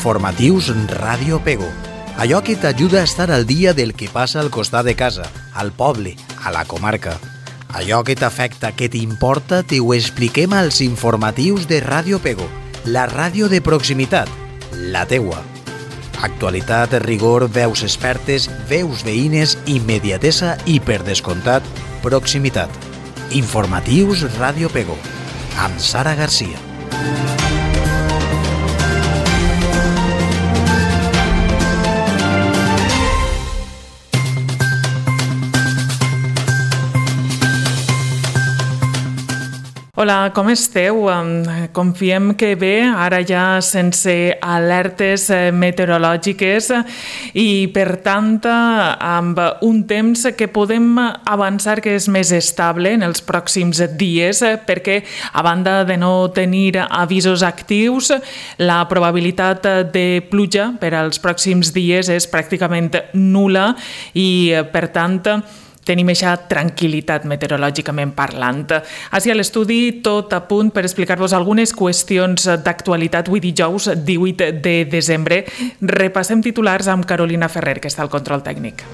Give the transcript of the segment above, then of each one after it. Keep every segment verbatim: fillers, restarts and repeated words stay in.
Informatius Ràdio Pego. Allò que t'ajuda a estar al dia del que passa al costat de casa, al poble, a la comarca. Allò que t'afecta, que t'importa, te ho expliquem als informatius de Ràdio Pego, la ràdio de proximitat, la teua. Actualitat, rigor, veus expertes, veus veïnes, immediatesa i, per descomptat, proximitat. Informatius Ràdio Pego, amb Sara Garcia. Hola, com esteu? Confiem que bé, ara ja sense alertes meteorològiques i, per tant, amb un temps que podem avançar que és més estable en els pròxims dies, perquè, a banda de no tenir avisos actius, la probabilitat de pluja per als pròxims dies és pràcticament nul·la i, per tant, tenim aquesta tranquil·litat meteorològicament parlant. Així a l'estudi, tot a punt per explicar-vos algunes qüestions d'actualitat avui dijous divuit de desembre. Repassem titulars amb Carolina Ferrer, que està al control tècnic.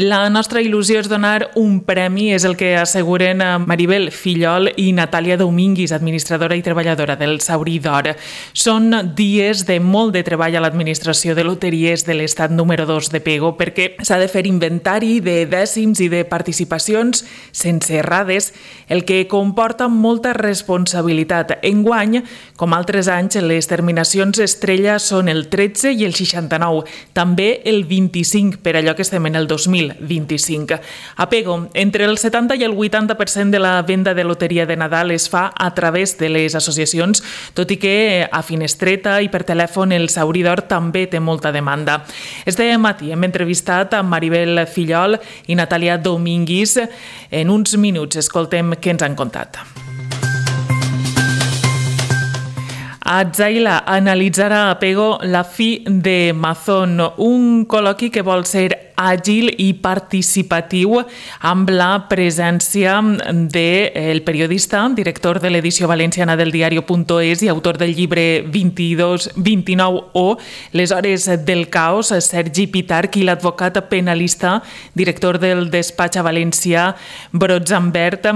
La nostra il·lusió és donar un premi, és el que asseguren Maribel Fillol i Natàlia Dominguis, administradora i treballadora del Saurí d'Or. Són dies de molt de treball a l'administració de loteries de l'estat número dos de Pego, perquè s'ha de fer inventari de dècims i de participacions sense errades, el que comporta molta responsabilitat. Enguany, com altres anys, les terminacions estrella són el tretze i el seixanta-nou, també el vint-i-cinc, per allò que estem en el dos mil vint-i-cinc. A Pego, entre el setanta i el vuitanta per cent de la venda de loteria de Nadal es fa a través de les associacions, tot i que a finestreta i per telèfon el Saurí d'Or també té molta demanda. Este matí hem entrevistat a Maribel Fillol i Natàlia Dominguis. En uns minuts escoltem què ens han contat. Atzaila analitzarà a Pego la fi de Mazón, un col·loqui que vol ser àgil i participatiu amb la presència del periodista, director de l'edició valenciana del diario punto es i autor del llibre vint-i-dos vint-i-nou o Les hores del caos, Sergi Pitarch, i l'advocat penalista, director del despatx a València, Brotzambert,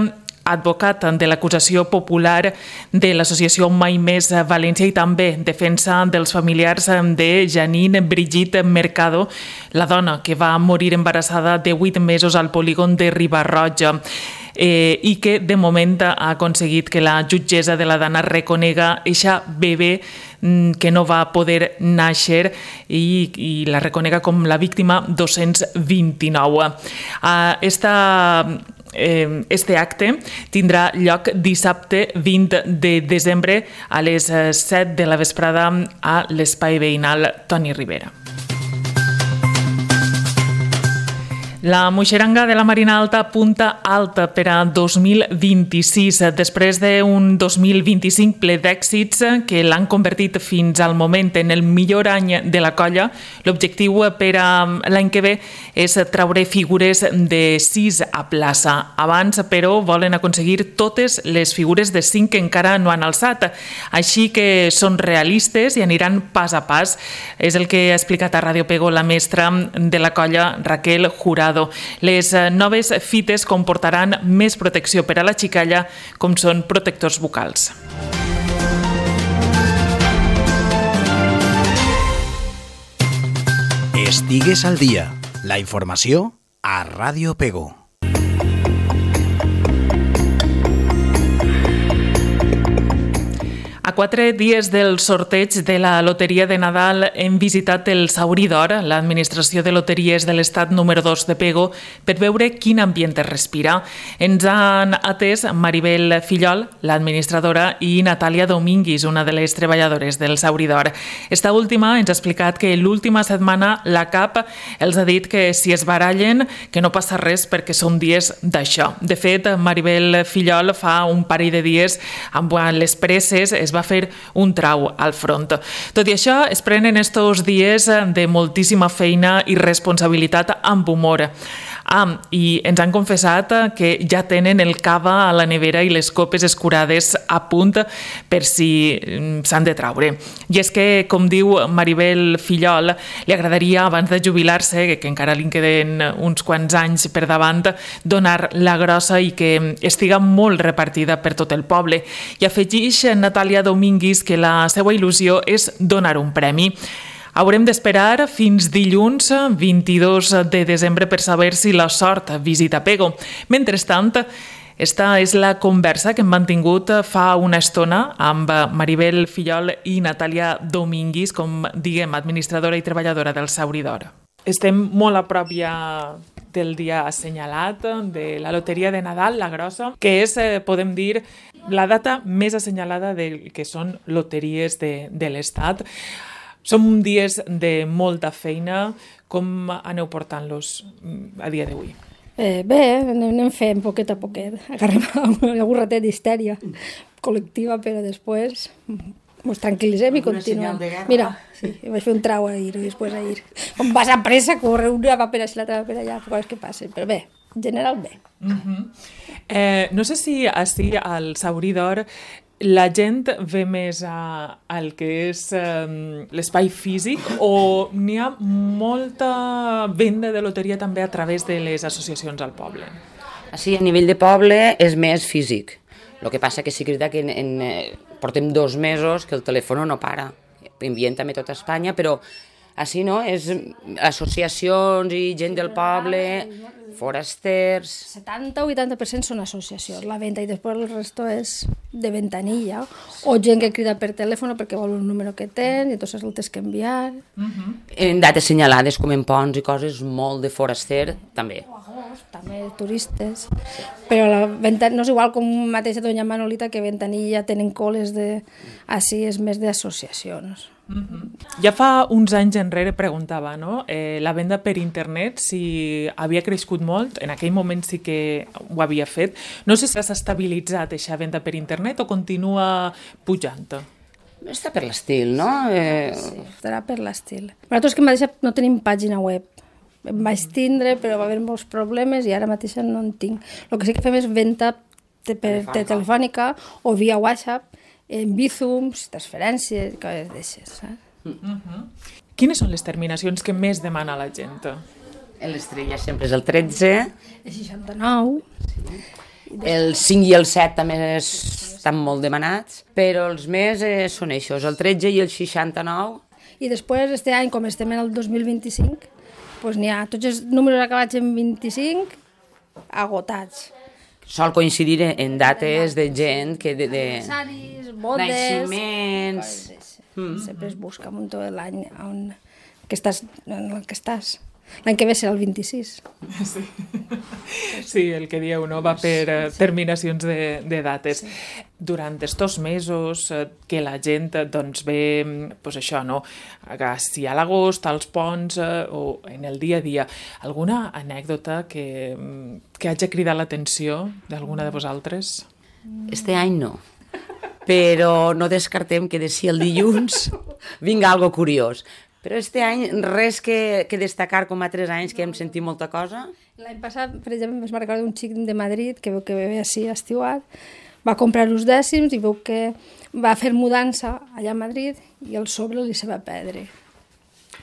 advocat de l'acusació popular de l'associació Mai Més València i també defensa dels familiars de Janine Brigitte Mercado, la dona que va morir embarassada de vuit mesos al polígon de Riba-roja. Eh, i que de moment ha aconseguit que la jutgessa de la Dana reconega eixa bebè que no va poder nàixer i, i la reconega com la víctima dos-cents vint-i-nou. Uh, esta Este acte tindrà lloc dissabte vint de desembre a les set de la vesprada a l'espai veïnal Toni Ribera. La moixeranga de la Marina Alta apunta alta per a dos mil vint-i-sis, després d'un dos mil vint-i-cinc ple d'èxits que l'han convertit fins al moment en el millor any de la colla. L'objectiu per a l'any que ve és traure figures de sis a plaça. Abans, però, volen aconseguir totes les figures de cinc que encara no han alçat. Així que són realistes i aniran pas a pas. És el que ha explicat a Ràdio Pego la mestra de la colla, Raquel Jurado. Les noves fites comportaran més protecció per a la xicalla, com són protectors bucals. Estigues al dia. La informació a Ràdio Pego. A quatre dies del sorteig de la loteria de Nadal hem visitat el Saurí d'Or, l'administració de loteries de l'estat número dos de Pego, per veure quin ambient es respira. Ens han atès Maribel Fillol, l'administradora, i Natàlia Dominguis, una de les treballadores del Saurí d'Or. Esta última ens ha explicat que l'última setmana la C A P els ha dit que si es barallen, que no passa res perquè són dies d'això. De fet, Maribel Fillol fa un parell de dies, amb les presses, es va fer un trau al front. Tot i això, es prenen estos dies de moltíssima feina i responsabilitat amb humor. Ah, i ens han confessat que ja tenen el cava a la nevera i les copes escurades a punt per si s'han de traure. I és que, com diu Maribel Fillol, li agradaria, abans de jubilar-se, que encara li queden uns quants anys per davant, donar la grossa i que estiga molt repartida per tot el poble. I afegeix Natàlia Domínguez que la seva il·lusió és donar un premi. Haurem d'esperar fins dilluns vint-i-dos de desembre per saber si la sort visita Pego. Mentrestant, esta és la conversa que hem mantingut fa una estona amb Maribel Fillol i Natàlia Domínguez, com diguem, administradora i treballadora del Sauridor. Estem molt a prop ja del dia assenyalat de la loteria de Nadal, la grossa, que és, podem dir, la data més assenyalada del que són loteries de, de l'Estat. Són dies de molta feina. Com aneu portant-los a dia d'avui? Eh, bé, anem fent poquet a poquet. Agarrem algun ratet d'histèria col·lectiva, però després ens tranquil·litzem i continuem. Mira, sí, vaig fer un trau ahir i després ahir. Com vas a pressa, corre una va per així, l'altra va per allà, coses que passen, però bé, en general bé. Uh-huh. eh, no sé si així al Sauridor la gent ve més a, al que és um, l'espai físic o n'hi ha molta venda de loteria també a través de les associacions al poble? Sí, a nivell de poble és més físic. El que passa que sí que és que en, en, portem dos mesos que el telèfon no para. Enviem també tot a Espanya, però així no, és associacions i gent del poble, forasters... setanta o vuitanta per cent són associacions, la venda, i després el resto és de ventanilla, o gent que crida per telèfon perquè vol un número que ten i entonces el tens que enviar. Uh-huh. En dates senyalades, com en ponts i coses, molt de foraster, també. O agost, també turistes. Però la venta no és igual com mateixa Doña Manolita, que ventanilla tenen coles de... Així és més d'associacions. Uh-huh. Ja fa uns anys enrere preguntava, no? eh, la venda per internet, si havia crescut molt, en aquell moment sí que ho havia fet. No sé si s'ha estabilitzat aquesta venda per internet o continua pujant. Està per l'estil, no? Eh... Sí, estarà per l'estil. Nosaltres que mateixa no tenim pàgina web. Em vaig tindre, però va haver molts problemes i ara mateix no en tinc. El que sí que fem és venda per telefònica, telefònica o via WhatsApp, en Bizums, transferències, coses d'aixes, saps? Uh-huh. Quines són les terminacions que més demana la gent? L'estrella sempre és el tretze. El seixanta-nou. Sí. El cinc i el set també es, estan molt demanats, però els més eh, són això, el tretze i el seixanta-nou. I després, este any, com estem en el dos mil vint-i-cinc, doncs n'hi ha tots els números acabats en vint-i-cinc agotats. Sol coincidir en dates de gent que de... de... Aniversaris, bodes... Naixements... Mm. Sempre es busca un tot l'any on que estàs, en el que estàs. L'any que ve serà el vint-i-sis. Sí, sí, el que dieu, no? Va per uh, terminacions de, de dates. Sí. Durant estos mesos uh, que la gent doncs, ve, pues això, no? Si a l'agost, als ponts uh, o en el dia a dia, alguna anècdota que, que hagi cridat l'atenció d'alguna de vosaltres? Este any no, però no descartem que de si el dilluns vinga algo curiós. Però este any res que, que destacar com a tres anys que hem sentit molta cosa. L'any passat, per exemple, vaig recordar un xic de Madrid que veu que ve així estiuat, va comprar uns dècims i veu que va fer mudança allà a Madrid i el sobre li se va perdre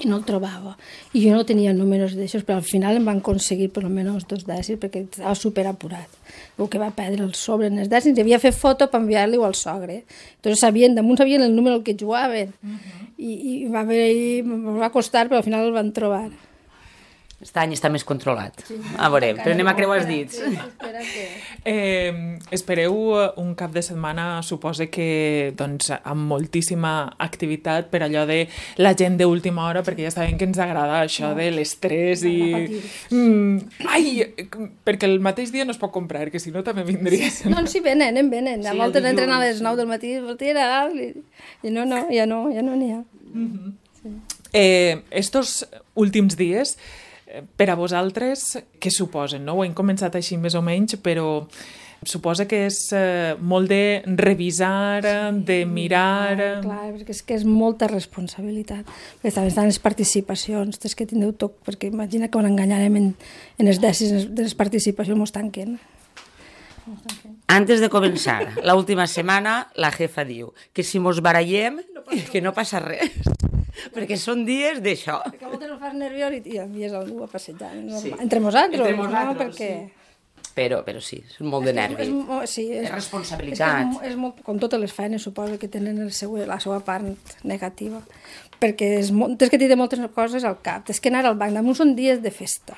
i no el trobava. I jo no tenia números d'aixòs, però al final em van aconseguir per almenys dos dècims perquè estava superapurat. Veu que va perdre el sobre en els dècims i havia fet foto per enviar-li al sogre. Entonces sabien, damunt sabien el número que jugaven. Uh-huh. I, i va, haver, va costar, però al final el van trobar. Aquest any està més controlat. Sí, a veure, però anem a creuar els dits. Sí, espera que... eh, espereu un cap de setmana, supose que doncs, amb moltíssima activitat per allò de la gent d'última hora, perquè ja sabem que ens agrada això no. de l'estrès i... Mm, ai, perquè el mateix dia no es pot comprar, que si no també vindria. Sí, sí. No, sí, venen, en venen. Sí, a voltes entren a les nou del matí, i, i no, no, ja no, ja no n'hi ha. Mm-hmm. Sí. Eh, estos últims dies, per a vosaltres, què suposen? No? Ho hem començat així més o menys, però Suposa que és eh, molt de revisar, de mirar... Clar, clar, perquè és que és molta responsabilitat. Perquè també estan les participacions, tens que tindreu tot, perquè imagina que on enganyarem en, en els dècims de les participacions mos tanquen. Antes de començar, l'última setmana, la jefa diu que si mos barallem, que no passa res. Perquè són dies d'això. Perquè a moltes no fas nerviós i, i envies algú a passejar. No? Sí. Entre nosaltres, Entre nosaltres, no? Perquè... sí. Però, però sí, és molt de nervi. És, és, sí, és, és responsabilitat. És, és, és molt, com totes les feines, suposo que tenen el seu, la seva part negativa. Perquè és molt, tens que tindre moltes coses al cap. Tens que anar al banc. Damunt són dies de festa.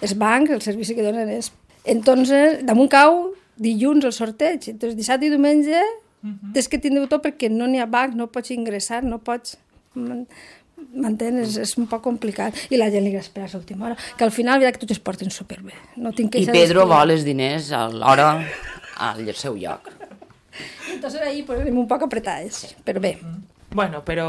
Els bancs, el servici que donen és... Entonces, damunt cau dilluns el sorteig. Entonces, dissabte i diumenge uh-huh. tens que tindre tot perquè no n'hi ha banc, no pots ingressar, no pots... M'entens? És, és un poc complicat. I la gent li agrada esperar a l'última hora. Que al final veurà que tots es porten superbé. No tinc que I Pedro vol els diners a l'hora al seu lloc. Entonces ahí pues, anem un poc apretades, sí. Però bé. Bueno, però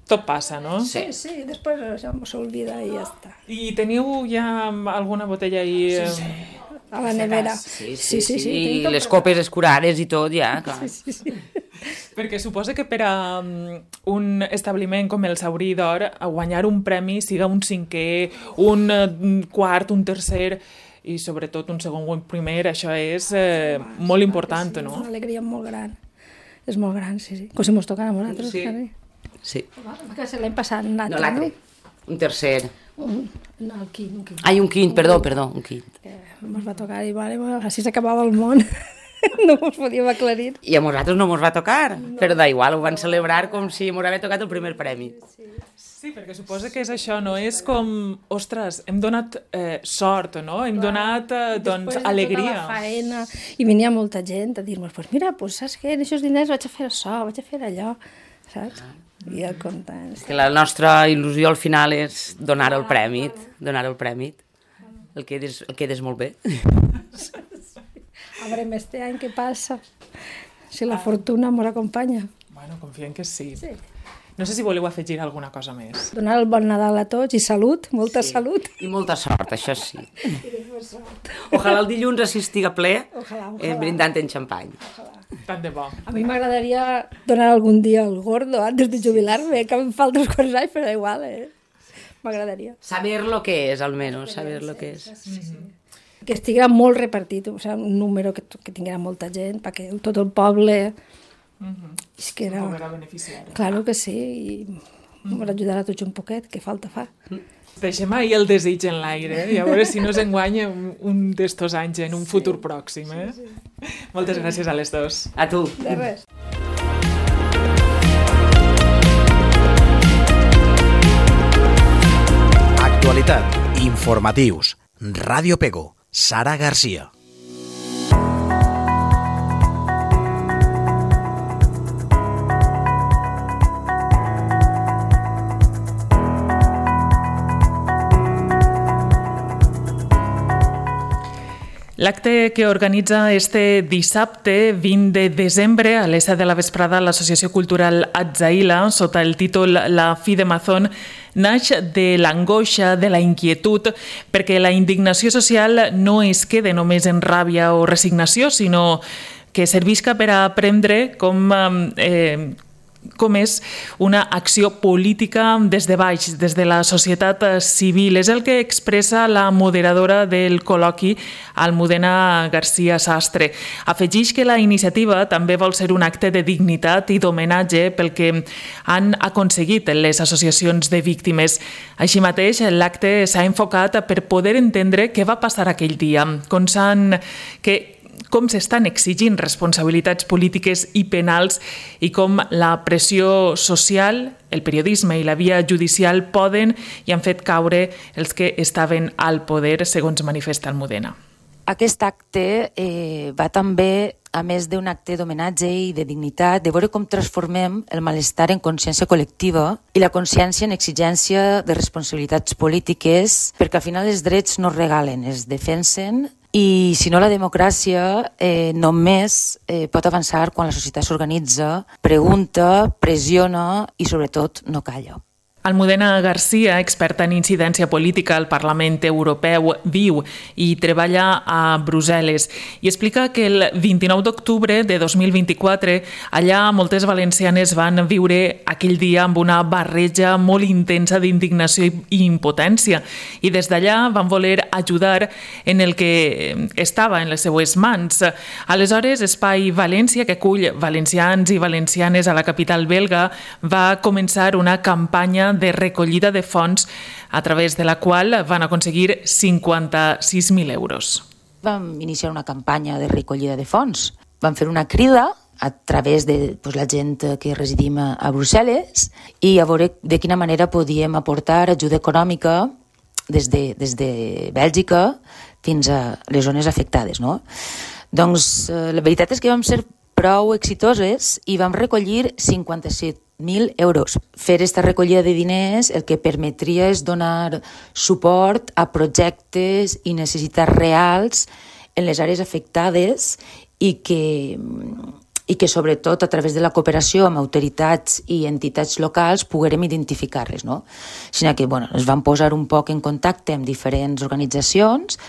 tot passa, no? Sí, sí, després ja s'olvida i ja està. I teniu ja alguna botella ahí... Sí, sí. A la nevera. Sí, sí, sí. sí, sí, sí. I les copes escurades i tot, ja, clar. Sí, sí, sí. Perquè suposa que per a un establiment com el Saurí d'Or, a guanyar un premi, siga un cinquè, un quart, un tercer i sobretot un segon o un primer, això és eh, molt important, sí, no? Una alegria molt gran. És molt gran, sí, sí. Com si mos tocara a nosaltres. Sí. Sí. Que se l'hem passat un altre, no? l'altre. Un tercer. Un, no, el quint, un quint. Ai, un quint, un perdó, quint. perdó, un quint. Que mos va tocar i vale, així s'acabava el món. No mos podíem aclarir. I a nosaltres no mos va tocar, no. Però da igual, ho van celebrar com si mos havia tocat el primer premi. Sí, sí, perquè suposa que és això, no? És com, ostres, hem donat eh, sort, no? Hem Clar. donat, eh, doncs, Després alegria. Després de tota la faena, i venia molta gent a dir-nos, pues mira, pues saps què, en aquests diners vaig a fer això, vaig a fer allò, saps? I el contents. Que la nostra il·lusió al final és donar el premi, donar el premi. El quedes, el quedes molt bé. A veure, este any què passa? Si la fortuna mos acompanya. Bueno, confiem que sí. Sí. No sé si voleu afegir alguna cosa més. Donar el bon Nadal a tots i salut, molta sí. salut. I molta sort, això sí. Ojalà el dilluns així estiga ple, ojalà, ojalà. Eh, brindant en xampany. Ojalà. Tant de bo. A mi m'agradaria donar algun dia el gordo antes de jubilar-me, que em falta uns quants anys, però igual, eh? M'agradaria. Saber lo que és, almenys, saber lo que és. Sí, sí. Que estiguera molt repartit, o sigui, un número que, que tinguera molta gent, perquè tot el poble... Uh-huh. És que era... Poder beneficiar. Claro que sí, i uh-huh. m'ho ajudarà tots un poquet, que falta fa. Deixem ahir el desig en l'aire, eh? I a veure si no s'enguanya un d'estos anys en un sí. futur pròxim. Eh? Sí, sí. Moltes gràcies a les dos. A tu. De res. Actualitat, informatius, Ràdio Pego, Sara Garcia. L'acte que organitza este dissabte vint de desembre a les set de la vesprada l'Associació Cultural Atzaïla, sota el títol La fi de Mazón, naix de l'angoixa, de la inquietud, perquè la indignació social no es quede només en ràbia o resignació, sinó que servisca per a aprendre com... Eh, com és una acció política des de baix, des de la societat civil. És el que expressa la moderadora del col·loqui, Almudena García Sastre. Afegeix que la iniciativa també vol ser un acte de dignitat i d'homenatge pel que han aconseguit les associacions de víctimes. Així mateix, l'acte s'ha enfocat per poder entendre què va passar aquell dia, com s'han... que com s'estan exigint responsabilitats polítiques i penals i com la pressió social, el periodisme i la via judicial poden i han fet caure els que estaven al poder, segons manifesta Almudena. Aquest acte eh, va també, a més d'un acte d'homenatge i de dignitat, de veure com transformem el malestar en consciència col·lectiva i la consciència en exigència de responsabilitats polítiques, perquè al final els drets no es regalen, es defensen. I si no, la democràcia eh, només eh, pot avançar quan la societat s'organitza, pregunta, pressiona i sobretot no calla. Almudena Garcia, experta en incidència política al Parlament Europeu, viu i treballa a Brussel·les i explica que el vint-i-nou d'octubre de dos mil vint-i-quatre allà moltes valencianes van viure aquell dia amb una barreja molt intensa d'indignació i impotència i des d'allà van voler ajudar en el que estava en les seues mans. Aleshores, Espai València, que acull valencians i valencianes a la capital belga, va començar una campanya de recollida de fons a través de la qual van aconseguir cinquanta-sis mil euros. Vam iniciar una campanya de recollida de fons. Vam fer una crida a través de pues, la gent que residim a, a Brussel·les i a veure de quina manera podíem aportar ajuda econòmica des de, des de Bèlgica fins a les zones afectades. No? Doncs eh, la veritat és que vam ser prou exitoses i vam recollir cinquanta-set mil euros. Fer aquesta recollida de diners el que permetria és donar suport a projectes i necessitats reals en les àrees afectades i que, i que sobretot a través de la cooperació amb autoritats i entitats locals poguérem identificar-les. No? Així que bueno, ens vam posar un poc en contacte amb diferents organitzacions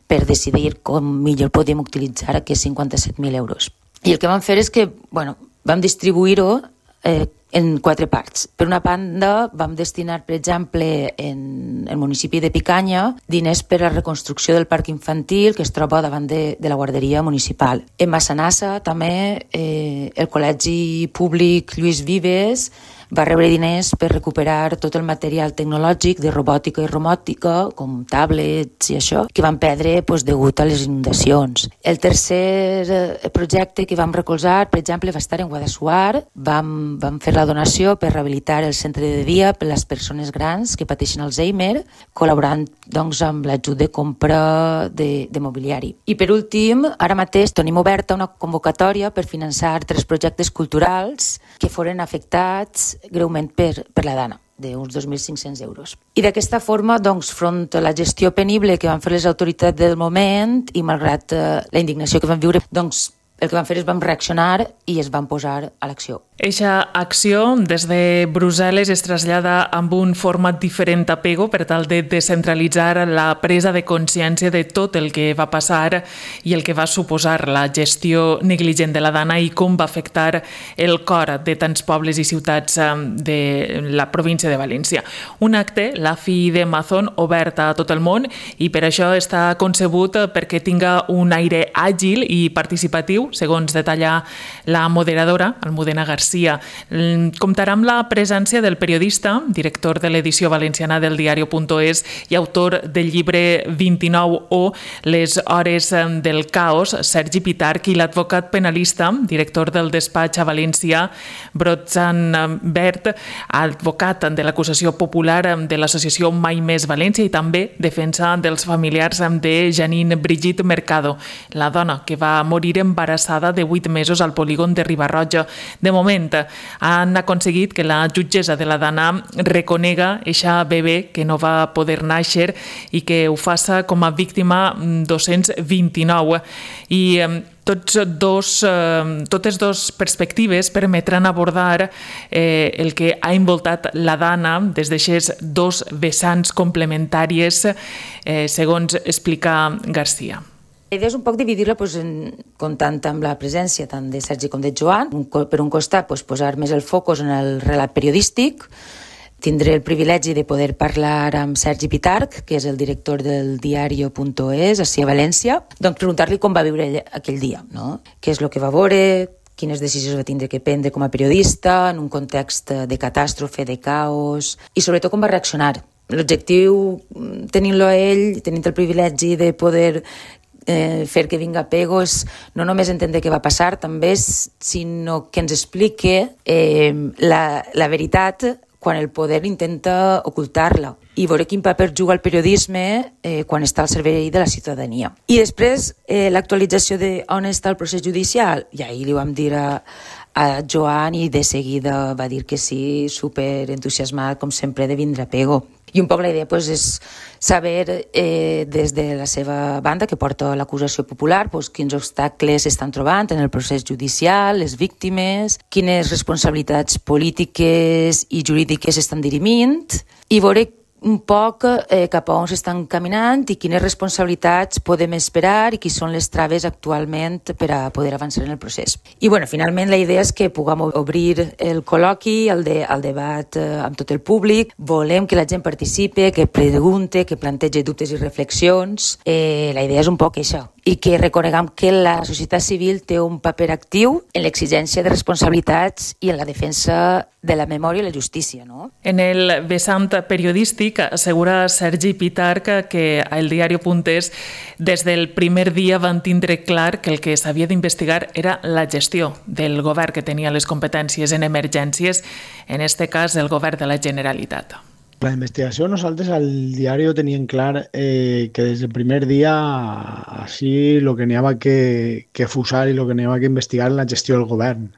per decidir com millor podíem utilitzar aquests cinquanta-set mil euros. I el que vam fer és que bueno, vam distribuir-ho eh, en quatre parts. Per una banda, vam destinar, per exemple, en el municipi de Picanya, diners per a la reconstrucció del parc infantil que es troba davant de, de la guarderia municipal. En Massanassa, també, eh, el Col·legi Públic Lluís Vives va rebre diners per recuperar tot el material tecnològic de robòtica i romòtica, com tablets i això, que van perdre pues, degut a les inundacions. El tercer projecte que vam recolzar, per exemple, va estar en Guadassuar. Vam, vam fer la donació per rehabilitar el centre de dia per a les persones grans que pateixen Alzheimer, col·laborant doncs, amb l'ajut de compra de, de mobiliari. I per últim, ara mateix tenim oberta una convocatòria per finançar tres projectes culturals que foren afectats greument per, per la dana, d'uns dos mil cinc-cents euros. I d'aquesta forma, doncs, front a la gestió penible que van fer les autoritats del moment i malgrat eh, la indignació que van viure, doncs, el que vam fer és vam reaccionar i es van posar a l'acció. Eixa acció des de Brussel·les es trasllada amb un format diferent a Pego per tal de descentralitzar la presa de consciència de tot el que va passar i el que va suposar la gestió negligent de la dana i com va afectar el cor de tants pobles i ciutats de la província de València. Un acte, la Fi de Mazón, oberta a tot el món i per això està concebut perquè tinga un aire àgil i participatiu, segons detalla la moderadora, Almudena Garcia. Comptarà amb la presència del periodista, director de l'edició valenciana del diario.es i autor del llibre vint-i-nou o Les hores del caos, Sergi Pitarch, i l'advocat penalista, director del despatx a València, Brotzan Bert, advocat de l'acusació popular de l'associació Mai Més València i també defensa dels familiars de Janine Brigitte Mercado, la dona que va morir embarassada de vuit mesos al polígon de Riba-roja. De moment, han aconseguit que la jutgessa de la dana reconega eixa bebè que no va poder néixer i que ho faça com a víctima dos-cents vint-i-nou. I tots dos, totes dues perspectives permetran abordar eh, el que ha envoltat la dana des d'aixes dos vessants complementàries, eh, segons explica Garcia. La idea és un poc dividir-la doncs, en, comptant amb la presència tant de Sergi com de Joan. Un, per un costat, doncs, posar més el focus en el relat periodístic. Tindré el privilegi de poder parlar amb Sergi Pitarch, que és el director del diario.es, ací a València, doncs preguntar-li com va viure aquell dia, no? Què és el que va veure, quines decisions va tindre que prendre com a periodista, en un context de catàstrofe, de caos, i sobretot com va reaccionar. L'objectiu, tenint-lo a ell, tenint el privilegi de poder Eh, fer que vinga Pego és no només entendre què va passar, també, sinó que ens explique eh, la, la veritat quan el poder intenta ocultar-la i veure quin paper juga el periodisme eh, quan està al servei de la ciutadania. I després, eh, l'actualització de on està el procés judicial, i ahir li vam dir a, a Joan i de seguida va dir que sí, super entusiasmat, com sempre, de vindre a Pego. I un poc la idea pues, és saber eh, des de la seva banda, que porta l'acusació popular, pues, quins obstacles s'estan trobant en el procés judicial, les víctimes, quines responsabilitats polítiques i jurídiques estan dirimint, i veure un poc eh, cap a on s'estan caminant i quines responsabilitats podem esperar i qui són les traves actualment per a poder avançar en el procés. I bueno, finalment la idea és que puguem obrir el col·loqui, el, de, el debat eh, amb tot el públic. Volem que la gent participe, que pregunte, que plantegi dubtes i reflexions. Eh, la idea és un poc això. I que reconeguem que la societat civil té un paper actiu en l'exigència de responsabilitats i en la defensa de la memòria i la justícia, no? En el vessant periodístic assegura Sergi Pitarch que a El Diario Puntés des del primer dia van tindre clar que el que s'havia d'investigar era la gestió del govern que tenia les competències en emergències, en este cas el govern de la Generalitat. La investigació, nosaltres al diari teníem clar eh, que des del primer dia així el que n'hi havia que, que fusar i el que n'hi havia que investigar la gestió del govern,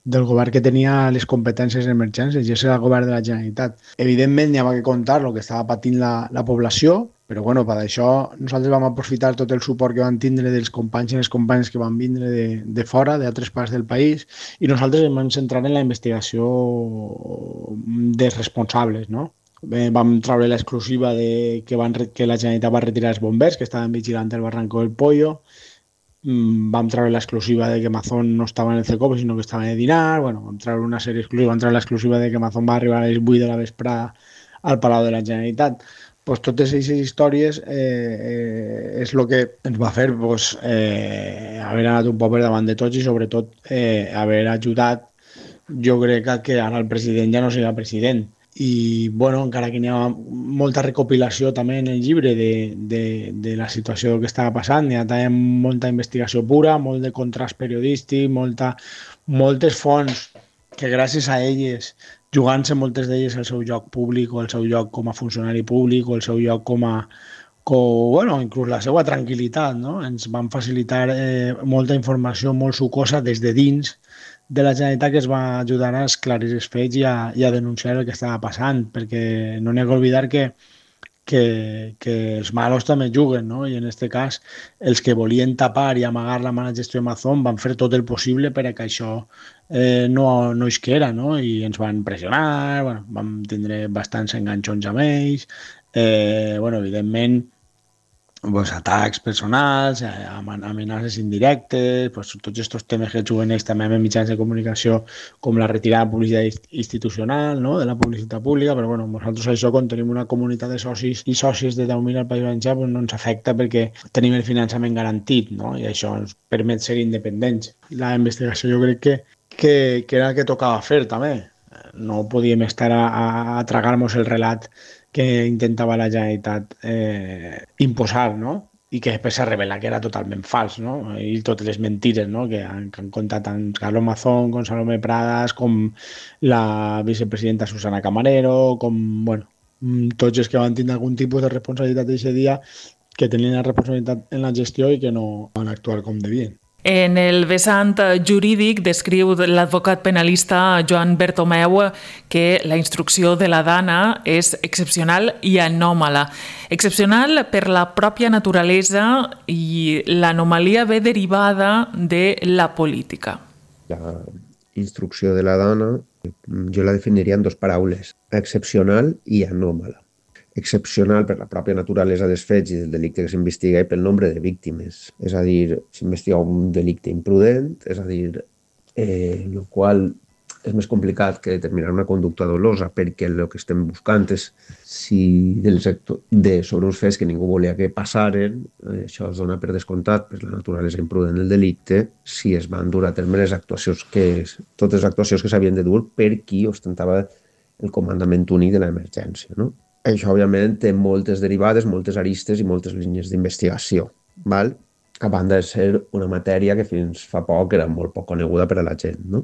del govern que tenia les competències en emergències, i és el govern de la Generalitat. Evidentment n'hi havia que contar el que estava patint la, la població, però bueno, per això nosaltres vam aprofitar tot el suport que van tindre dels companys i les companyes que van vindre de, de fora, d'altres parts del país, i nosaltres ens vam centrar en la investigació dels responsables, no? Bé, vam treure l'exclusiva de que, van, que la Generalitat va retirar els bombers que estaven vigilant el barranco del Pollo. Mm, vam treure l'exclusiva de que Mazón no estava en el CECOPE, sinó que estava de dinar. Bueno, vam treure una sèrie exclusiva, vam treure l'exclusiva de que Mazón va arribar a les vuit de la vesprada al Palau de la Generalitat. Pues totes aquestes històries eh, eh, és el que ens va fer pues, eh, haver anat un poc per davant de tots i sobretot eh, haver ajudat, jo crec que ara el president ja no serà president. I, bueno, encara que hi ha molta recopilació també en el llibre de, de, de la situació que estava passant, hi ha també molta investigació pura, molt de contrast periodístic, molta, moltes fonts que gràcies a elles, jugant-se moltes d'elles el seu lloc públic o el seu lloc com a funcionari públic o el seu lloc com a, com, bueno, inclús la seva tranquil·litat, no? Ens van facilitar eh, molta informació molt sucosa des de dins de la Generalitat que es va ajudar a esclarir els fets i a, i a denunciar el que estava passant, perquè no n'hi ha que oblidar que, que, que els malos també juguen, no? I en aquest cas els que volien tapar i amagar la mala gestió de Mazón van fer tot el possible per a que això eh, no, no isquera, no? I ens van pressionar, bueno, vam tindre bastants enganxons amb ells, eh, bueno, evidentment pues, atacs personals, amenaces indirectes, pues, tots aquests temes que juguen ells també amb mitjans de comunicació com la retirada de publicitat institucional, no? De la publicitat pública, però bueno, nosaltres això quan tenim una comunitat de socis i sòcies de deu mil al País Valencià pues, no ens afecta perquè tenim el finançament garantit, no? I això ens permet ser independents. La investigació jo crec que, que, que era el que tocava fer també. No podíem estar a, a, a tragar-nos el relat que intentava la Generalitat eh, imposar, no? I que després s'ha revelat que era totalment fals, no? I totes les mentires, no? Que han, que han contat tant Carlos Mazón, com Salomé Pradas, com la vicepresidenta Susana Camarero, com, bueno, tots els que van tindre algun tipus de responsabilitat d'aquest dia, que tenien la responsabilitat en la gestió i que no van actuar com devien. En el vessant jurídic descriu l'advocat penalista Joan Bertomeu que la instrucció de la Dana és excepcional i anòmala. Excepcional per la pròpia naturalesa i l'anomalia ve derivada de la política. La instrucció de la Dana jo la definiria en dues paraules, excepcional i anòmala. Excepcional per la pròpia naturalesa dels fets i del delicte que s'investiga i pel nombre de víctimes. És a dir, s'investiga un delicte imprudent, és a dir, eh, el qual és més complicat que determinar una conducta dolosa perquè el que estem buscant és si del sector, de, sobre uns fets que ningú volia que passaren, eh, això es dona per descomptat per la naturalesa imprudent del delicte, si es van dur a terme les actuacions que, totes les actuacions que s'havien de dur per qui ostentava el comandament únic de l'emergència, no? Això, òbviament, té moltes derivades, moltes aristes i moltes línies d'investigació, val? A banda de ser una matèria que fins fa poc era molt poc coneguda per a la gent, no?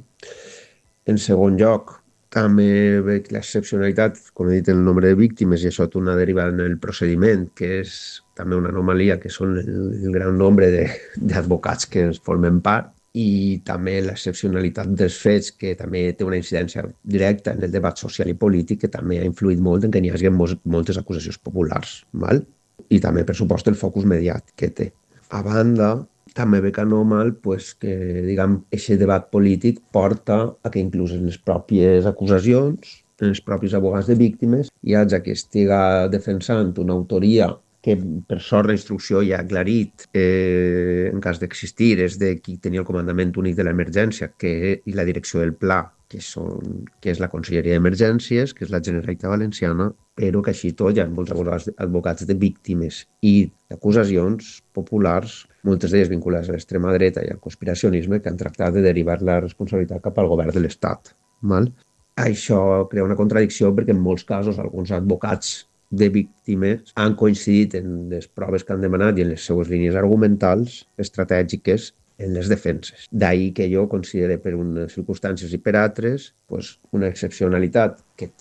En segon lloc, també veig l'excepcionalitat, com he dit, el nombre de víctimes, i això té una derivada en el procediment, que és també una anomalia, que són el, el gran nombre d'advocats que es formen part, i també l'excepcionalitat dels fets, que també té una incidència directa en el debat social i polític, que també ha influït molt en que n'hi hagi moltes acusacions populars, val? I també, per supost, el focus mediàtic que té. A banda, també ve que anormal pues, que, diguem, aquest debat polític porta a que inclús en les pròpies acusacions, en els propis abogats de víctimes, hi hagi qui estiga defensant una autoria que per sort la instrucció ja ha aclarit, eh, en cas d'existir, és de qui tenia el comandament únic de l'emergència que, i la direcció del pla, que, són, que és la Conselleria d'Emergències, que és la Generalitat Valenciana, però que així tot hi ha molts advocats, advocats de víctimes i d'acusacions populars, moltes d'elles vinculades a l'extrema dreta i al conspiracionisme, que han tractat de derivar la responsabilitat cap al govern de l'Estat. Val? Això crea una contradicció perquè en molts casos alguns advocats de víctimes han coincidit en les proves que han demanat i en les seues línies argumentals estratègiques en les defenses. D'ahir que jo considero per unes circumstàncies i per altres pues, una excepcionalitat que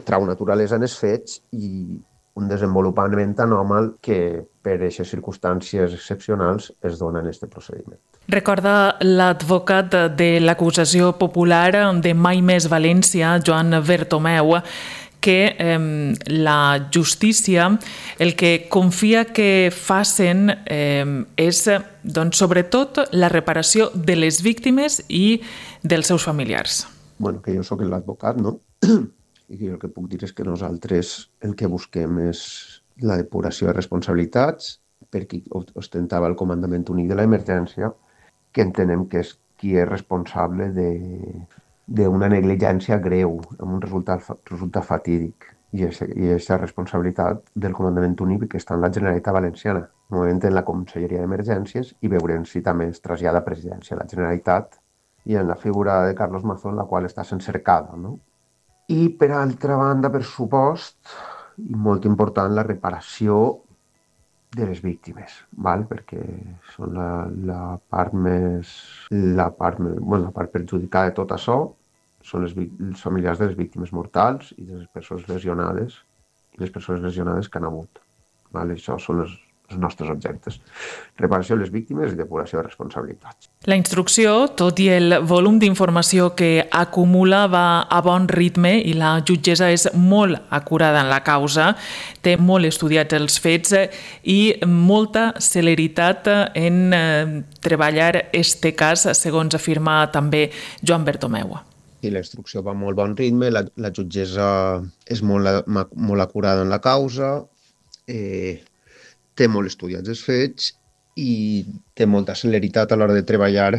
trau naturalesa en els fets i un desenvolupament anòmal que per aquestes circumstàncies excepcionals es dona en aquest procediment. Recorda l'advocat de l'acusació popular de Mai Més València, Joan Bertomeu, que eh, la justícia el que confia que facin eh, és, doncs, sobretot, la reparació de les víctimes i dels seus familiars. Bueno, que jo sóc l'advocat, no? I que jo el que puc dir és que nosaltres el que busquem és la depuració de responsabilitats per qui ostentava el comandament únic de l'emergència, que entenem que és qui és responsable de d'una negligència greu, amb un resultat, resultat fatídic. I aquesta responsabilitat del comandament únic que està en la Generalitat Valenciana, no en la Conselleria d'Emergències, i veurem si també es trasllada a presidència de la Generalitat i en la figura de Carlos Mazón, la qual està sent cercada. No? I per altra banda, per supost, i molt important, la reparació de les víctimes, val? Perquè són la, la part més, la part, bueno, la part perjudicada de tot això, són les, els familiars de les víctimes mortals i de les persones lesionades i les persones lesionades que han hagut. Val? Això són els, els nostres objectes. Reparació de les víctimes i depuració de responsabilitats. La instrucció, tot i el volum d'informació que acumula, va a bon ritme i la jutgessa és molt acurada en la causa, té molt estudiats els fets i molta celeritat en eh, treballar este cas, segons afirma també Joan Bertomeu. I la instrucció va a molt bon ritme, la, la jutgessa és molt, molt acurada en la causa, eh, té molt estudiats els fets i té molta celeritat a l'hora de treballar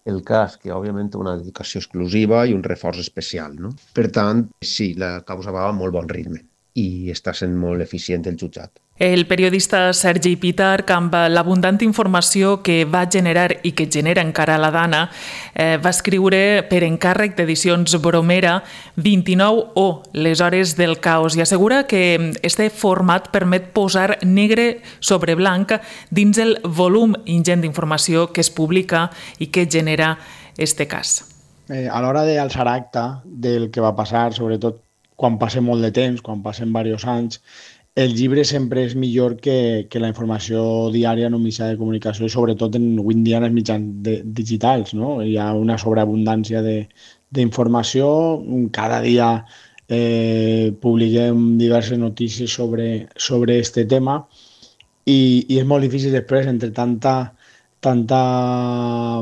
el cas, que òbviament té una dedicació exclusiva i un reforç especial. No? Per tant, sí, la causa va a molt bon ritme i està sent molt eficient el jutjat. El periodista Sergi Pitarch, amb l'abundant informació que va generar i que genera encara la Dana, eh, va escriure per encàrrec d'Edicions Bromera vint-i-nou o les hores del caos i assegura que este format permet posar negre sobre blanc dins el volum ingent d'informació que es publica i que genera este cas. Eh, a l'hora d'alçar acta del que va passar, sobretot quan passa molt de temps, quan passen diversos anys, el llibre sempre és millor que, que la informació diària en un mitjà de comunicació i sobretot en, avui en dia en els mitjans de, digitals. No? Hi ha una sobreabundància d'informació. Cada dia eh, publiquem diverses notícies sobre, sobre este tema i, i és molt difícil després, entre tanta, tanta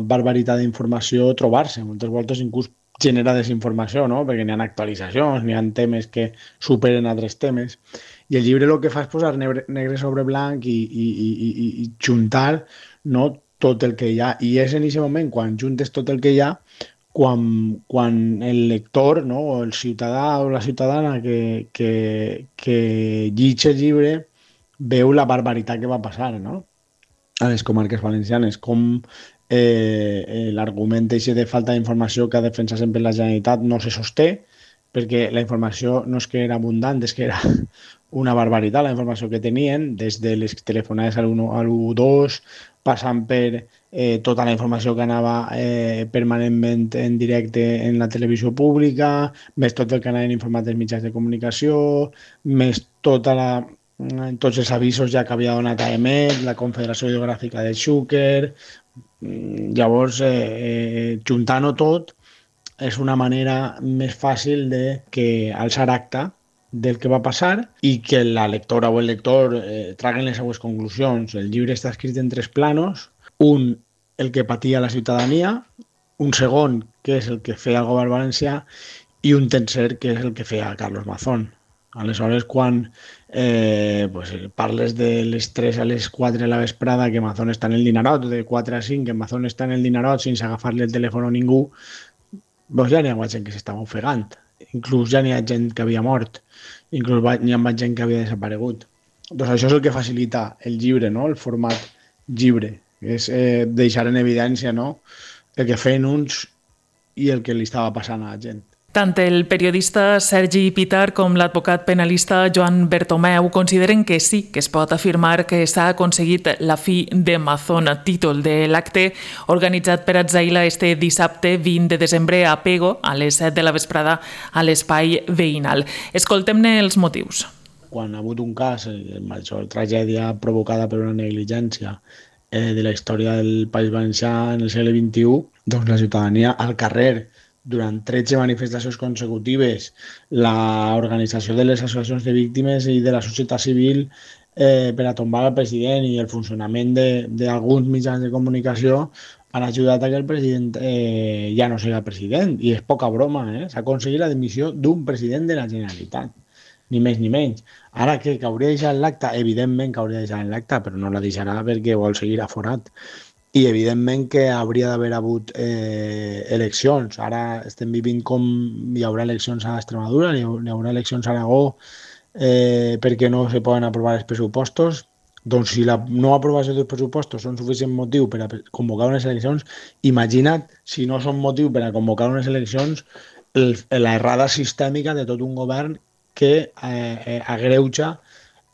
barbaritat d'informació, trobar-se. Moltes voltes inclús genera desinformació, no? Perquè n'hi ha actualitzacions, n'hi ha temes que superen altres temes. I el llibre el que fa és posar negre, negre sobre blanc i, i, i, i, i juntar, no, tot el que hi ha. I és en aquest moment, quan juntes tot el que hi ha, quan, quan el lector, no, o el ciutadà o la ciutadana que, que, que llig el llibre veu la barbaritat que va passar, no? A les comarques valencianes, com eh, l'argument de falta d'informació que ha defensat sempre la Generalitat no se sosté, perquè la informació no és que era abundant, és que era una barbaritat la informació que tenien, des de les telefonades a l'u dos, passant per eh, tota la informació que anava eh, permanentment en directe en la televisió pública, més tot el que anaven informats dels mitjans de comunicació, més tota la tots els avisos ja que havia donat a E M E T, la Confederació Hidrogràfica de Xúquer. Llavors, eh, eh, juntant-ho tot, és una manera més fàcil de que alçar acta del que va passar i que la lectora o el lector eh, traguen les seues conclusions. El llibre està escrit en tres planos. Un, el que patia la ciutadania, un segon, que és el que feia el govern valencià, i un tercer, que és el que feia Carlos Mazón. Aleshores, quan eh, pues, parles de les tres a les quatre de la vesprada que Mazón està en el Dinarot, de quatre a cinc que Mazón està en el Dinarot sense agafar-li el telèfon a ningú, doncs ja n'hi ha gent que s'estava ofegant. Inclús ja n'hi ha gent que havia mort. Inclús n'hi ha gent que havia desaparegut. Doncs això és el que facilita el llibre, no? El format llibre. És eh, deixar en evidència, no? El que feien uns i el que li estava passant a la gent. Tant el periodista Sergi Pitar com l'advocat penalista Joan Bertomeu consideren que sí, que es pot afirmar que s'ha aconseguit la fi de Mazón, títol de l'acte organitzat per Atzaila este dissabte vint de desembre a Pego, a les set de la vesprada, a l'espai veïnal. Escoltem-ne els motius. Quan ha hagut un cas, la major tragèdia provocada per una negligència eh, de la història del País Valencià en el segle vint-i-u, doncs la ciutadania al carrer, durant tretze manifestacions consecutives, l'organització de les associacions de víctimes i de la societat civil eh, per a tombar el president i el funcionament d'alguns mitjans de comunicació han ajudat a que el president eh, ja no sigui el president. I és poca broma, eh? S'ha aconseguit la dimissió d'un president de la Generalitat, ni més ni menys. Ara que, que hauria deixat l'acte, evidentment que hauria deixat l'acte, però no la deixarà perquè vol seguir aforat. I evidentment que hauria d'haver hagut eh, eleccions. Ara estem vivint com hi haurà eleccions a Extremadura, hi haurà eleccions a Aragó eh, perquè no se poden aprovar els pressupostos. Doncs si la no aprovació dels pressupostos són suficient motiu per a convocar unes eleccions, imagina't si no són motiu per a convocar unes eleccions el, l'errada sistèmica de tot un govern que eh, eh, agreuja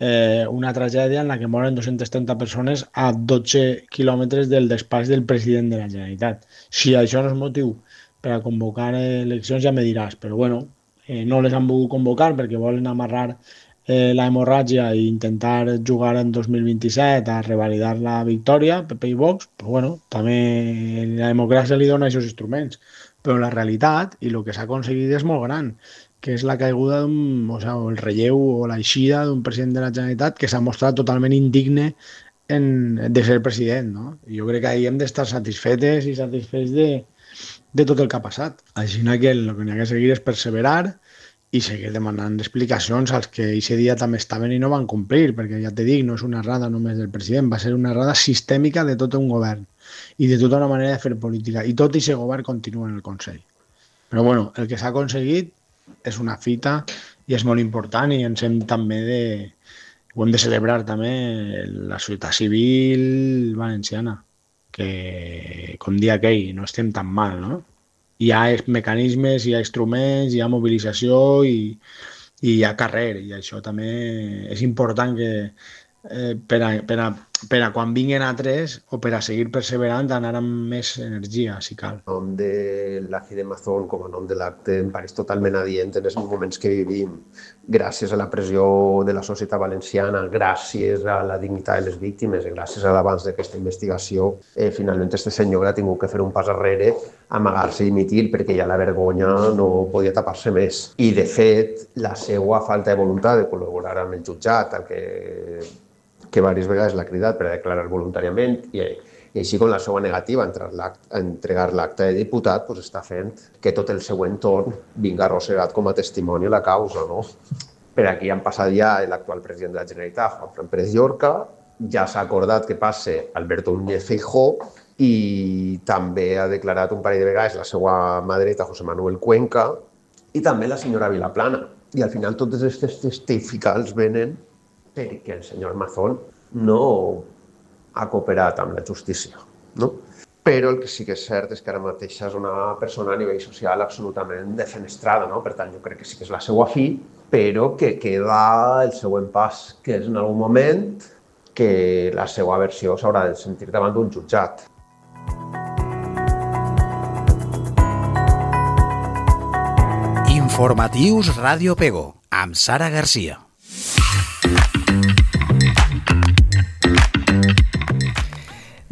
Eh, una tragèdia en la que moren dues-centes trenta persones a dotze quilòmetres del despatx del president de la Generalitat. Si això no és motiu per a convocar eleccions ja me diràs, però bueno, eh, no les han volgut convocar perquè volen amarrar eh, la hemorràgia i intentar jugar en dos mil vint-i-set a revalidar la victòria, P P i Vox, però bueno, també la democràcia li dona aquests instruments, però la realitat i el que s'ha aconseguit és molt gran, que és la caiguda d'un, o sigui, el relleu o l'eixida d'un president de la Generalitat que s'ha mostrat totalment indigne en, de ser president, no? I jo crec que ahir hem d'estar satisfetes i satisfets de, de tot el que ha passat. Així que el que n'hi ha que seguir és perseverar i seguir demanant explicacions als que aquest dia també estaven i no van complir, perquè ja t'he dit, no és una errada només del president, va ser una errada sistèmica de tot un govern i de tota una manera de fer política. I tot aquest govern continua en el Consell. Però bueno, el que s'ha aconseguit és una fita i és molt important i ens hem també de... ho hem de celebrar també la societat civil valenciana, que com dia aquell no estem tan mal, no? Hi ha mecanismes, hi ha instruments, hi ha mobilització i, i hi ha carrer, i això també és important que eh, per, a, per, a, per a quan vinguin altres o per a seguir perseverant anar amb més energia, si cal. El nom de la fi de Mazón com a nom de l'acte em pareix totalment adient en els moments que vivim, gràcies a la pressió de la societat valenciana, gràcies a la dignitat de les víctimes, gràcies a l'abans d'aquesta investigació, eh, finalment este senyor ha tingut que fer un pas arrere, amagar-se i dimitir perquè ja la vergonya no podia tapar-se més. I, de fet, la seva falta de voluntat de col·laborar amb el jutjat, el que que diverses vegades l'ha cridat per a declarar voluntàriament i, i així com la seva negativa a entregar l'acte de diputat pues, està fent que tot el seu entorn vinga arrossegat com a testimoni a la causa. No? Per aquí han passat ja l'actual president de la Generalitat, Juanfran Pérez Llorca, ja s'ha acordat que passe Alberto Núñez Feijóo i també ha declarat un parell de vegades la seva mà dreta, José Manuel Cuenca, i també la senyora Vilaplana. I al final totes aquestes testificals venen perquè el senyor Mazón no ha cooperat amb la justícia. No? Però el que sí que és cert és que ara mateix és una persona a nivell social absolutament defenestrada, no? Per tant, jo crec que sí que és la seva fi, però que queda el següent pas, que és en algun moment que la seva versió s'haurà de sentir davant d'un jutjat. Informatius Ràdio Pego, amb Sara Garcia.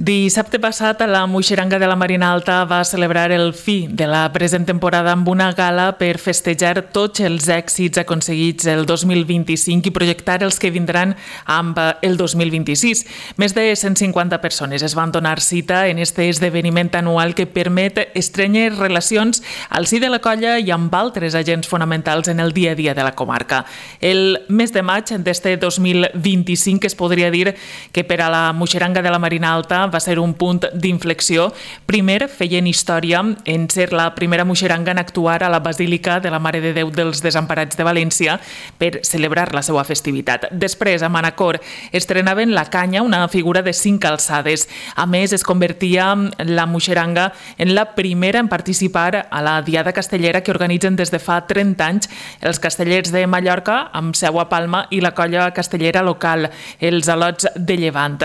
Dissabte passat, la Muixeranga de la Marina Alta va celebrar el fi de la present temporada amb una gala per festejar tots els èxits aconseguits el dos mil vint-i-cinc i projectar els que vindran amb el dos mil vint-i-sis. Més de cent cinquanta persones es van donar cita en este esdeveniment anual que permet estrènyer relacions al si de la colla i amb altres agents fonamentals en el dia a dia de la comarca. El mes de maig d'este dos mil vint-i-cinc es podria dir que per a la Muixeranga de la Marina Alta va ser un punt d'inflexió. Primer, feien història en ser la primera muixeranga en actuar a la Basílica de la Mare de Déu dels Desemparats de València per celebrar la seva festivitat. Després, a Manacor, estrenaven la canya, una figura de cinc alçades. A més, es convertia la muixeranga en la primera en participar a la Diada Castellera que organitzen des de fa trenta anys els castellers de Mallorca, amb seu a Palma, i la colla castellera local, els Alots de Llevant.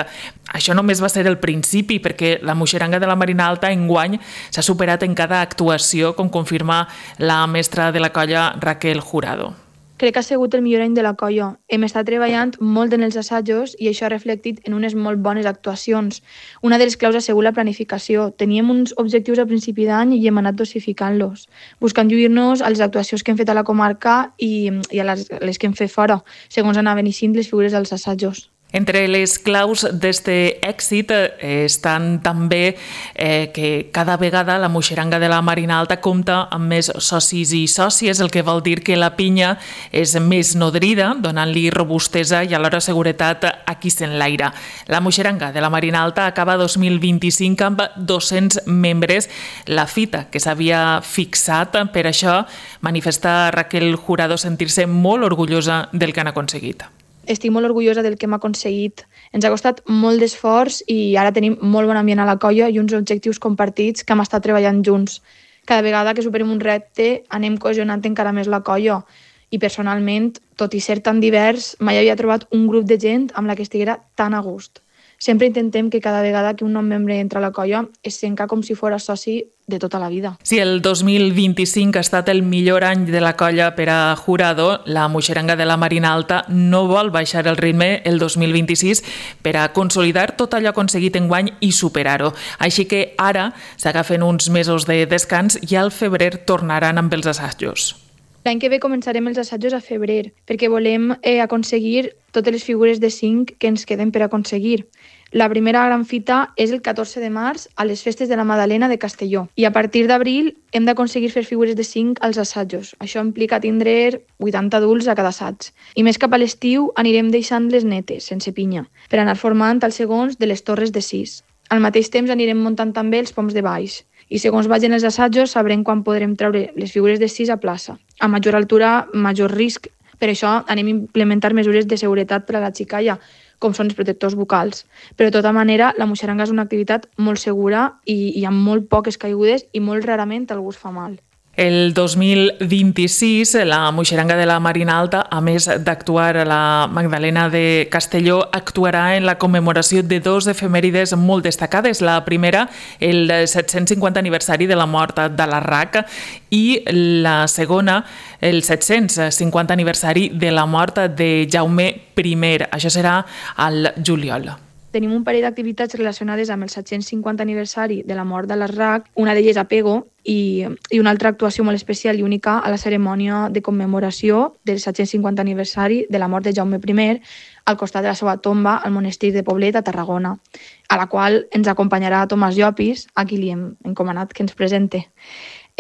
Això només va ser el principi, perquè la Muixeranga de la Marina Alta enguany s'ha superat en cada actuació, com confirma la mestra de la colla, Raquel Jurado. Crec que ha sigut el millor any de la colla. Hem estat treballant molt en els assajos i això ha reflectit en unes molt bones actuacions. Una de les claus ha sigut la planificació. Teníem uns objectius a principi d'any i hem anat dosificant-los, buscant lluir-nos a les actuacions que hem fet a la comarca i, i a les, les que hem fet fora, segons anaven eixint les figures dels assajos. Entre les claus d'este èxit estan també eh, que cada vegada la Muixeranga de la Marina Alta compta amb més socis i sòcies, el que vol dir que la pinya és més nodrida, donant-li robustesa i alhora seguretat a qui s'enlaira. La Muixeranga de la Marina Alta acaba dos mil vint-i-cinc amb dos-cents membres, la fita que s'havia fixat. Per això manifesta Raquel Jurado sentir-se molt orgullosa del que han aconseguit. Estic molt orgullosa del que hem aconseguit. Ens ha costat molt d'esforç i ara tenim molt bon ambient a la colla i uns objectius compartits que hem estat treballant junts. Cada vegada que superem un repte anem cohesionant encara més la colla i personalment, tot i ser tan divers, mai havia trobat un grup de gent amb la que estiguera tan a gust. Sempre intentem que cada vegada que un nou membre entra a la colla es senta com si fos soci de tota la vida. Si el dos mil vint-i-cinc ha estat el millor any de la colla per a Jurado, la Muixeranga de la Marina Alta no vol baixar el ritme el dos mil vint-i-sis per a consolidar tot allò aconseguit enguany i superar-ho. Així que ara s'agafen uns mesos de descans i al febrer tornaran amb els assajos. L'any que ve començarem els assajos a febrer, perquè volem eh, aconseguir totes les figures de cinc que ens queden per aconseguir. La primera gran fita és el catorze de març a les festes de la Madalena de Castelló i a partir d'abril hem d'aconseguir fer figures de cinc als assajos. Això implica tindre vuitanta adults a cada assaig. I més cap a l'estiu anirem deixant les netes, sense pinya, per anar formant els segons de les torres de sis. Al mateix temps anirem muntant també els poms de baix. I segons vagin els assajos sabrem quan podrem treure les figures de sis a plaça. A major altura, major risc. Per això anem a implementar mesures de seguretat per a la xicalla, com són els protectors bucals. Però de tota manera, la muixeranga és una activitat molt segura i, i amb molt poques caigudes i molt rarament algú es fa mal. El dos mil vint-i-sis, la Muixeranga de la Marina Alta, a més d'actuar a la Magdalena de Castelló, actuarà en la commemoració de dos efemèrides molt destacades. La primera, el set-cents cinquanta aniversari de la mort de l'Arrac, i la segona, el set-cents cinquanta aniversari de la mort de Jaume primer. Això serà al juliol. Tenim un parell d'activitats relacionades amb el set-cents cinquanta aniversari de la mort de l'Arrac, una d'elles a Pego i, i una altra actuació molt especial i única a la cerimònia de commemoració del set-cents cinquanta aniversari de la mort de Jaume primer al costat de la seva tomba al monestir de Poblet a Tarragona, a la qual ens acompanyarà Tomàs Llopis, a qui li hem encomanat que ens presente.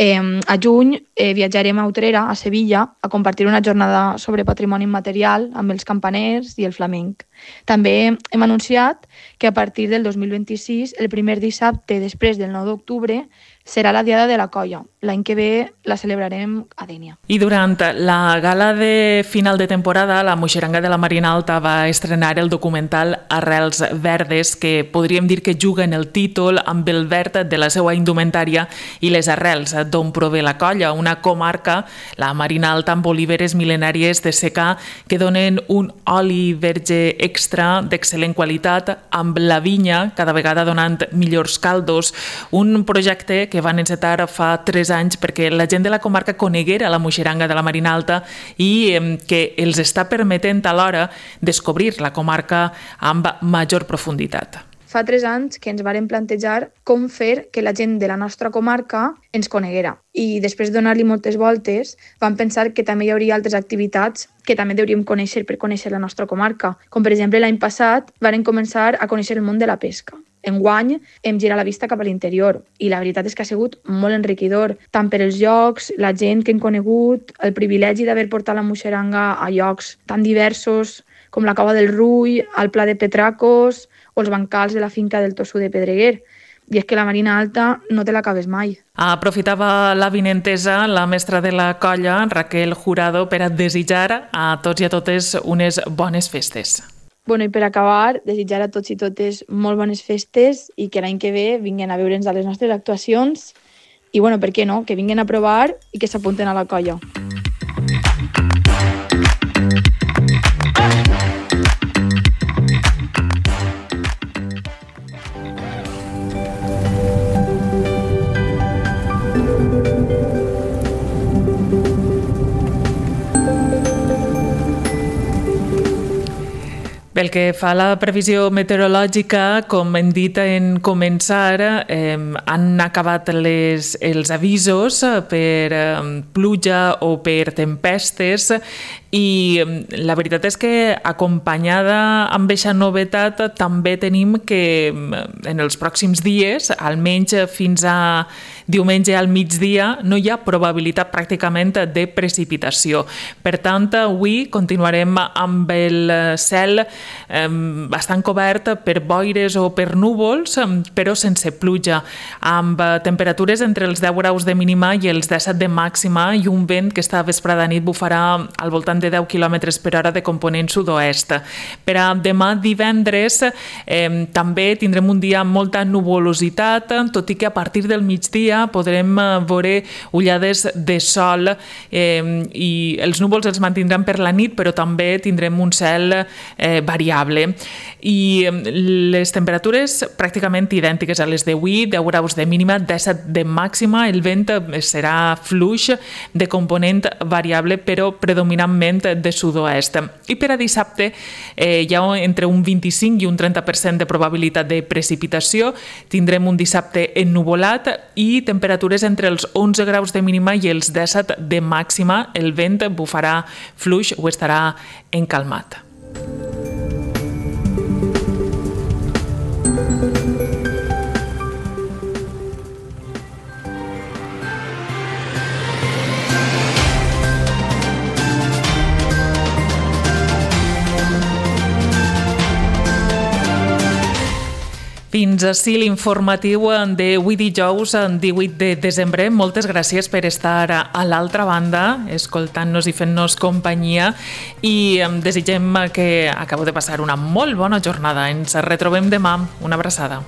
Eh, a juny eh, viatjarem a Utrera, a Sevilla, a compartir una jornada sobre patrimoni immaterial amb els campaners i el flamenc. També hem anunciat que a partir del dos mil vint-i-sis, el primer dissabte després del nou d'octubre, serà la Diada de la Colla. L'any que ve la celebrarem a Dénia. I durant la gala de final de temporada, la Muixeranga de la Marina Alta va estrenar el documental Arrels Verdes, que podríem dir que juga en el títol amb el verd de la seva indumentària i les arrels d'on prové la colla, una comarca, la Marina Alta, amb oliveres mil·lenàries de secà que donen un oli verge extra d'excel·lent qualitat, amb la vinya cada vegada donant millors caldos, un projecte que van encetar fa tres anys perquè la gent de la comarca coneguera la Muixeranga de la Marina Alta i que els està permetent alhora descobrir la comarca amb major profunditat. fa tres anys que ens varen plantejar com fer que la gent de la nostra comarca ens coneguera. I després de donar-li moltes voltes, vam pensar que també hi hauria altres activitats que també hauríem conèixer per conèixer la nostra comarca. Com per exemple l'any passat varen començar a conèixer el món de la pesca. Enguany hem girat la vista cap a l'interior i la veritat és que ha sigut molt enriquidor, tant per els llocs, la gent que hem conegut, el privilegi d'haver portat la moixeranga a llocs tan diversos com la Cova del Rull, el Pla de Petracos o els bancals de la finca del Tossú de Pedreguer. I és que la Marina Alta no te l'acabes mai. Aprofitava l'avinentesa la mestra de la colla, Raquel Jurado, per a desitjar a tots i a totes unes bones festes. Bueno, i per acabar, desitjar a tots i totes molt bones festes i que l'any que ve vinguin a veure'ns a les nostres actuacions i, bueno, per què no?, que vinguin a provar i que s'apunten a la colla. Pel que fa a la previsió meteorològica, com hem dit en començar, eh, han acabat les, els avisos per eh, pluja o per tempestes i la veritat és que acompanyada amb aquesta novetat també tenim que en els pròxims dies, almenys fins a diumenge al migdia, no hi ha probabilitat pràcticament de precipitació. Per tant, avui continuarem amb el cel eh, bastant cobert per boires o per núvols, però sense pluja, amb temperatures entre els deu graus de mínima i els disset de màxima i un vent que esta vesprada nit bufarà al voltant de deu quilòmetres per hora de component sud-oest. Per a demà divendres eh, també tindrem un dia amb molta nuvolositat, tot i que a partir del migdia podrem veure ullades de sol eh, i els núvols els mantindran per la nit, però també tindrem un cel eh, variable. I les temperatures pràcticament idèntiques a les d'avui, deu graus de mínima, disset de màxima, el vent serà fluix de component variable, però predominantment de sud-oest. I per a dissabte eh, hi ha entre un vint-i-cinc i un trenta per cent de probabilitat de precipitació, tindrem un dissabte ennuvolat i temperatures entre els onze graus de mínima i els disset de màxima, el vent bufarà fluix o estarà encalmat. Fins ací l'informatiu d'avui dijous, divuit de desembre. Moltes gràcies per estar a l'altra banda, escoltant-nos i fent-nos companyia, i desitgem que acabeu de passar una molt bona jornada. Ens retrobem demà. Una abraçada.